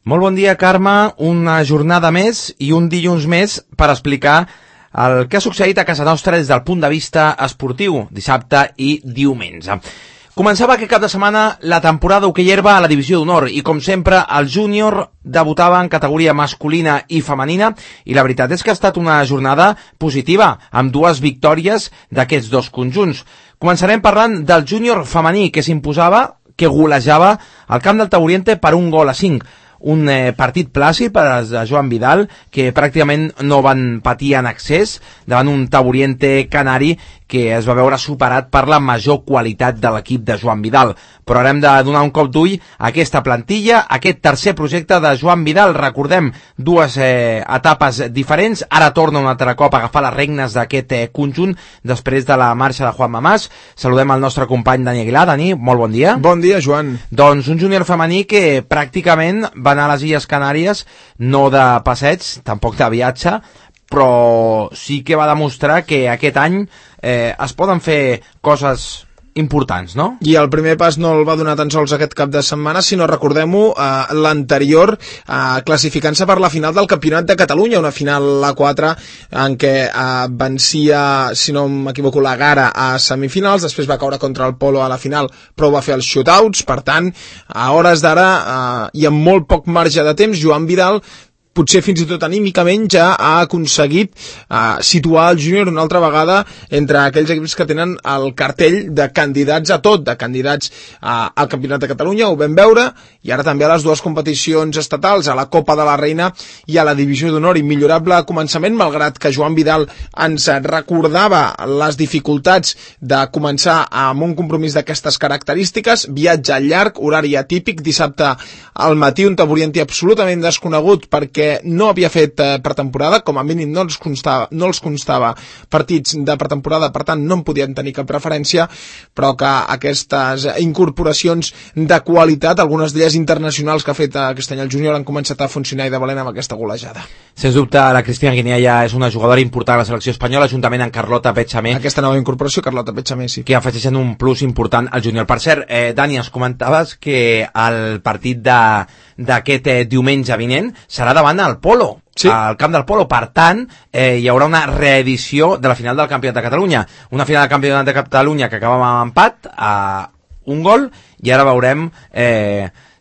Molt bon dia, Carme. Una jornada més i un dilluns més per explicar el que ha succeït a casa nostra des del punt de vista esportiu, dissabte i diumenge. Començava aquest cap de setmana la temporada d'hoquei herba a la divisió d'honor i, com sempre, el júnior debutava en categoria masculina i femenina i la veritat és que ha estat una jornada positiva, amb dues victòries d'aquests dos conjunts. Començarem parlant del júnior femení que s'imposava, que golejava al camp del Tauriente per 1-5. Un partit plàcid per als de Joan Vidal, que pràcticament no van patir en excés davant un Tauriente canari que es va veure superat per la major qualitat de l'equip de Joan Vidal. Però ara hem de donar un cop d'ull a aquesta plantilla, a aquest tercer projecte de Joan Vidal. Recordem, dues etapes diferents. Ara torna un altre cop a agafar les regnes d'aquest conjunt després de la marxa de Juan Mamàs. Saludem el nostre company Dani Aguilar. Dani, molt bon dia. Bon dia, Joan. Doncs un júnior femení que pràcticament va anar a les Illes Canàries, no de passeig, tampoc de viatge, però sí que va demostrar que aquest any es poden fer coses importants, no? I el primer pas no el va donar tan sols aquest cap de setmana, sinó, recordem-ho, l'anterior, classificant-se per la final del Campionat de Catalunya, una final a 4 en què vencia, si no m'equivoco, la Gara a semifinals, després va caure contra el Polo a la final, però va fer els shootouts. Per tant, a hores d'ara i amb molt poc marge de temps, Joan Vidal potser fins i tot anímicament ja ha aconseguit situar el júnior una altra vegada entre aquells equips que tenen el cartell de candidats a tot, de candidats al Campionat de Catalunya, ho vam veure, i ara també a les dues competicions estatals, a la Copa de la Reina i a la Divisió d'Honor. Immillorable començament, malgrat que Joan Vidal ens recordava les dificultats de començar amb un compromís d'aquestes característiques, viatge llarg, horari atípic, dissabte al matí, un Tauriente absolutament desconegut perquè no havia fet pretemporada, com a mínim no els constava partits de pretemporada, per tant no en podien tenir cap preferència, però que aquestes incorporacions de qualitat, algunes d'elles internacionals que ha fet aquest any el júnior, han començat a funcionar i de valent amb aquesta golejada. Sens dubte, la Cristina Guinea ja és una jugadora important a la selecció espanyola, juntament amb Carlota Petxamé. Aquesta nova incorporació, Carlota Petxamé, sí. Que afegeixen un plus important al júnior. Per cert, Dani, ens comentaves que el partit d'aquest diumenge vinent serà davant al Polo, sí, al camp del Polo. Per tant, hi haurà una reedició de la final del Campionat de Catalunya. Una final del Campionat de Catalunya que acaba amb empat a un gol, i ara veurem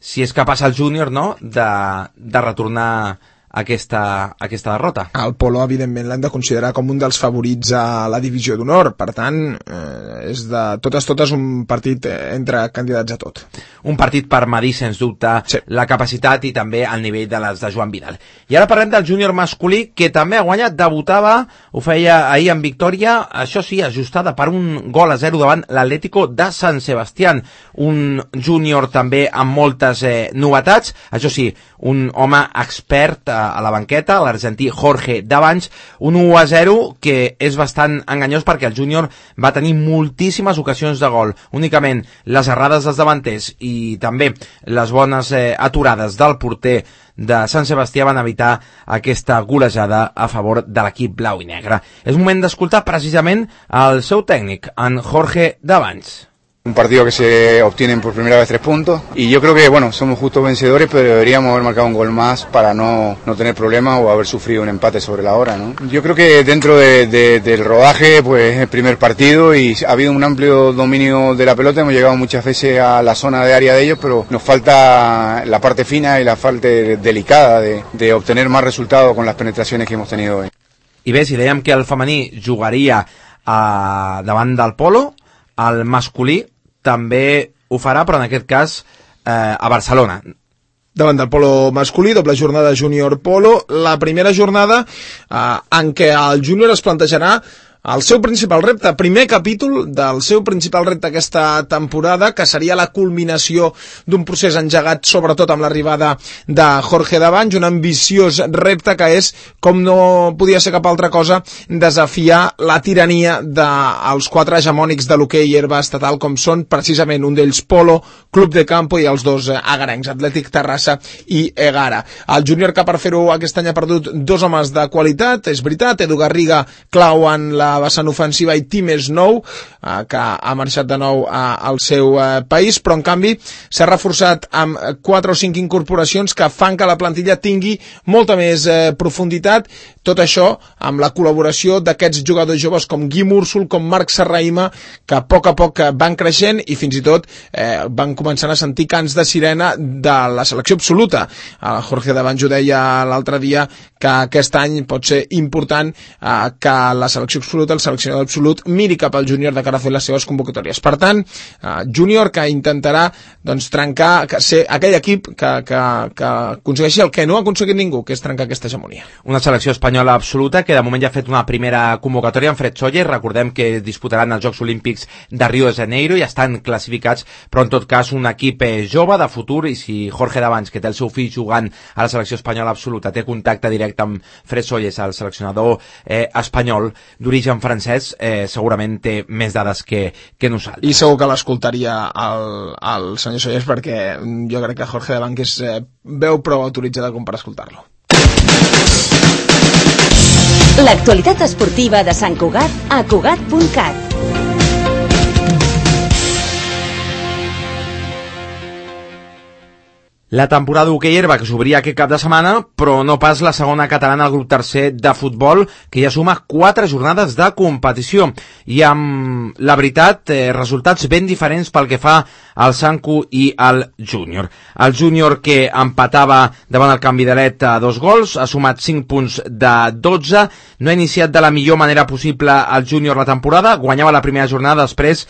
si és capaç el júnior, no?, de retornar aquesta derrota. El Polo, evidentment, l'hem de considerar com un dels favorits a la Divisió d'Honor. Per tant, és de totes un partit entre candidats a tot. Un partit per medir, sens dubte, sí, la capacitat i també el nivell de les de Joan Vidal. I ara parlem del júnior masculí, que també ha guanyat, debutava, ho feia ahir en victòria, això sí, ajustada per 1-0 davant l'Atlético de San Sebastián. Un júnior també amb moltes novetats, això sí, un home expert a la banqueta, l'argentí Jorge Davanç, un 1-0 que és bastant enganyós perquè el júnior va tenir moltíssimes ocasions de gol. Únicament les errades dels davanters i també les bones aturades del porter de Sant Sebastià van evitar aquesta golejada a favor de l'equip blau i negre. És moment d'escoltar precisament el seu tècnic, en Jorge Davanç. Un partido que se obtienen por primera vez 3 puntos y yo creo que bueno, somos justos vencedores, pero deberíamos haber marcado un gol más para no tener problemas o haber sufrido un empate sobre la hora, ¿no? Yo creo que dentro del rodaje pues es el primer partido y ha habido un amplio dominio de la pelota, hemos llegado muchas veces a la zona de área de ellos, pero nos falta la parte fina y la parte delicada de obtener más resultados con las penetraciones que hemos tenido hoy. I bé, si dèiem que el femení jugaria davant del Polo, el masculí també ho farà, però en aquest cas a Barcelona. Davant del Polo masculí, doble jornada júnior Polo, la primera jornada en què el júnior es plantejarà el seu principal repte, primer capítol del seu principal repte aquesta temporada, que seria la culminació d'un procés engegat sobretot amb l'arribada de Jorge Davanç, un ambiciós repte que és, com no podia ser cap altra cosa, desafiar la tirania dels 4 hegemònics de l'hoquei herba estatal, com són precisament un d'ells Polo, Club de Campo i els dos agarencs, Atlètic Terrassa i Egara. El júnior, que per fer-ho aquest any ha perdut 2 homes de qualitat, és veritat, Edu Garriga clau en la la vessant ofensiva i Times Nou, que ha marxat de nou al seu país, però en canvi s'ha reforçat amb 4 o 5 incorporacions que fan que la plantilla tingui molta més profunditat, tot això amb la col·laboració d'aquests jugadors joves com Guim Úrsul, com Marc Serraima, que a poc van creixent i fins i tot van començant a sentir cants de sirena de la selecció absoluta. El Jorge Davanjo deia l'altre dia que aquest any pot ser important que la selecció absoluta, el seleccionador absolut, miri cap al júnior de cara a fer les seves convocatòries. Per tant, júnior que intentarà trencar, ser aquell equip que aconsegueixi el que no ha aconseguit ningú, que és trencar aquesta hegemonia. Una selecció espanyola absoluta que de moment ja ha fet una primera convocatòria en Fred Soller. Recordem que disputaran els Jocs Olímpics de Rio de Janeiro i estan classificats, però en tot cas un equip jove de futur, i si Jorge Davanç, que té el seu fill jugant a la selecció espanyola absoluta, té contacte directe amb Fred Soller, el seleccionador espanyol d'origen francès, segurament té més dades que nosaltres. I segur que l'escoltaria el senyor Soller, perquè jo crec que Jorge Davanç és veu prou autoritzada com per escoltar-lo. L'actualitat esportiva de Sant Cugat a Cugat.cat. La temporada d'hoquei herba que s'obria aquest cap de setmana, però no pas la segona catalana al grup tercer de futbol, que ja suma 4 jornades de competició. I amb, la veritat, resultats ben diferents pel que fa al Sanku i al Júnior. El Júnior, que empatava davant el Canvidalet a 2 gols, ha sumat 5 punts de 12, no ha iniciat de la millor manera possible el Júnior la temporada, guanyava la primera jornada, després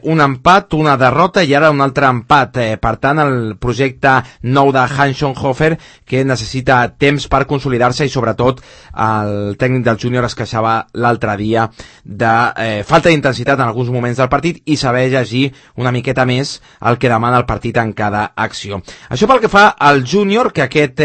un empat, una derrota i ara un altre empat. Per tant, el projecte nou de Hans Schoenhofer, que necessita temps per consolidar-se, i sobretot el tècnic del Júnior es queixava l'altre dia de falta d'intensitat en alguns moments del partit i saber llegir una miqueta més el que demana el partit en cada acció. Això pel que fa al Júnior, que aquest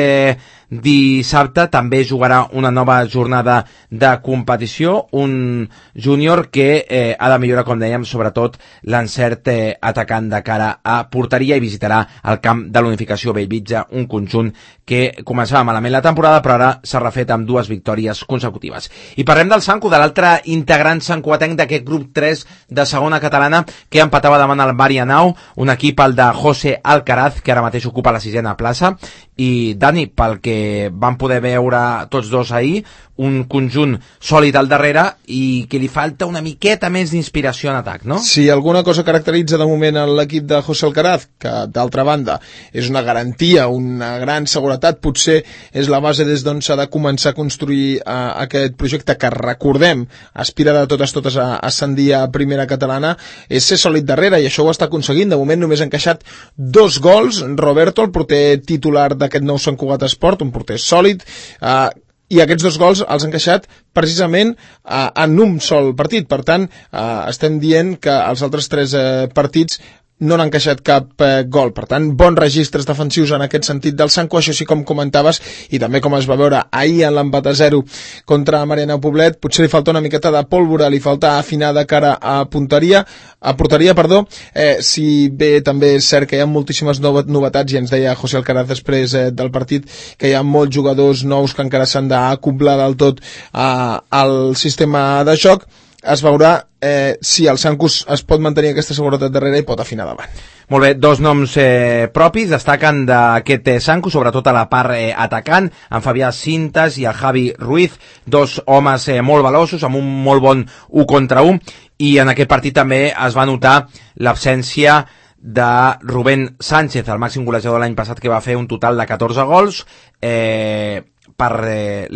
dissabte també jugarà una nova jornada de competició, un Júnior que ha de millorar, com dèiem, sobretot l'encert atacant de cara a porteria, i visitarà el camp de l'Unificació Bellvitge, un conjunt que començava malament la temporada però ara s'ha refet amb 2 victòries consecutives. I parlem del Sanku, de l'altre integrant sancuatenc d'aquest grup 3 de segona catalana, que empatava davant el Marianao, un equip, el de José Alcaraz, que ara mateix ocupa la 6a plaça. I Dani, pel que vam poder veure tots dos ahir, un conjunt sòlid al darrere i que li falta una miqueta més d'inspiració en atac, no? Si alguna cosa caracteritza de moment l'equip de José Alcaraz, que d'altra banda és una garantia, una gran seguretat, potser és la base des d'on s'ha de començar a construir aquest projecte que, recordem, aspira de totes a ascendir a primera catalana, és ser sòlid darrere, i això ho està aconseguint. De moment només ha encaixat 2 gols Roberto, el porter titular d'aquest nou Sant Cugat Esport, un porter sòlid, i aquests 2 gols els han encaixat precisament en un sol partit. Per tant, estem dient que els altres 3 partits no n'han encaixat cap gol. Per tant, bons registres defensius en aquest sentit del Sanku, això sí, com comentaves, i també com es va veure ahir en l'empat a 0 contra Marianao Poblet. Potser li falta una miqueta de pólvora, li falta afinar de cara a porteria, si bé també és cert que hi ha moltíssimes novetats, i ens deia José Alcaraz després del partit que hi ha molts jugadors nous que encara s'han d'acoblar del tot al sistema de joc. Es veurà si el Sanku es pot mantenir aquesta seguretat darrere i pot afinar davant. Molt bé, 2 noms propis destaquen d'aquest Sanku, sobretot a la part atacant, en Fabià Cintas i el Javi Ruiz, 2 homes molt veloços, amb un molt bon 1 contra 1, i en aquest partit també es va notar l'absència de Rubén Sánchez, el màxim golejador l'any passat, que va fer un total de 14 gols, per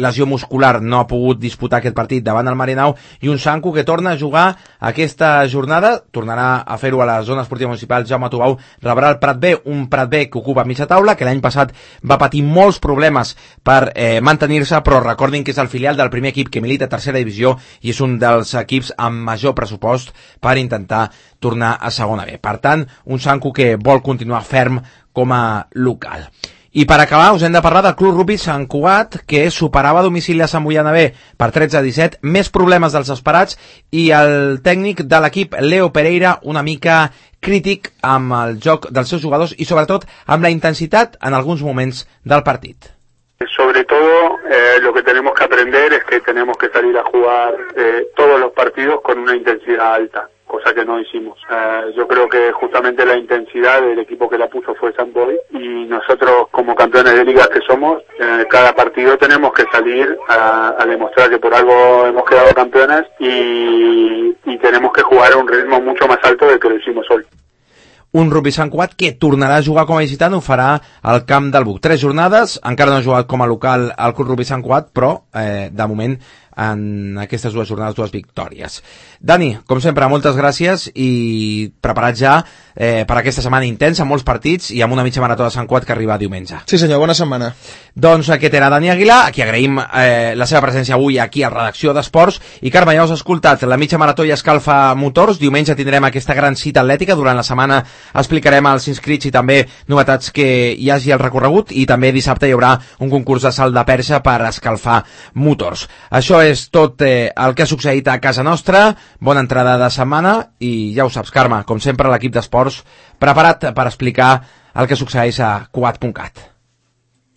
lesió muscular no ha pogut disputar aquest partit davant el Marianao, i un Sanku que torna a jugar aquesta jornada, tornarà a fer-ho a la zona esportiva municipal Jaume Tubau, rebrà el Prat B, un Prat B que ocupa mitja taula, que l'any passat va patir molts problemes per mantenir-se, però recordin que és el filial del primer equip que milita a tercera divisió i és un dels equips amb major pressupost per intentar tornar a segona B. Per tant, un Sanku que vol continuar ferm com a local. I per acabar us hem de parlar del Club Rugby Sant Cugat, que superava a domicili a Sant Boiana B per 13-17, més problemes dels esperats, i el tècnic de l'equip, Leo Pereira, una mica crític amb el joc dels seus jugadors i sobretot amb la intensitat en alguns moments del partit. Sobre sobre todo lo que tenemos que aprender es que tenemos que salir a jugar todos los partidos con una intensidad alta, cosa que no hicimos. Yo creo que justamente la intensidad del equipo que la puso fue San Boy, y nosotros como campeones de ligas que somos, cada partido tenemos que salir a demostrar que por algo hemos quedado campeones y tenemos que jugar a un ritmo mucho más alto del que lo hicimos hoy. Un Rugby Sant Cugat que tornarà a jugar com a visitant, ho farà al camp del Buc. 3 jornades, encara no ha jugat com a local al Club Rugby Sant Cugat, però de moment en aquestes 2 jornades 2 victòries. Dani, com sempre, moltes gràcies i preparat ja per aquesta setmana intensa, amb molts partits i amb una mitja marató de Sant Cugat que arriba diumenge. Sí senyor, bona setmana. Doncs aquest era Dani Aguilar, a qui agraïm la seva presència avui aquí a Redacció d'Esports. I Carme, ja us has escoltat, la mitja marató i escalfa motors. Diumenge tindrem aquesta gran cita atlètica. Durant la setmana explicarem els inscrits i també novetats que hi hagi al recorregut, i també dissabte hi haurà un concurs de salt de perxa per escalfar motors. Això és tot el que ha succeït a casa nostra. Bona entrada de setmana i ja ho saps, Carme, com sempre l'equip d'esports preparat per explicar el que succeeix a Cugat.cat.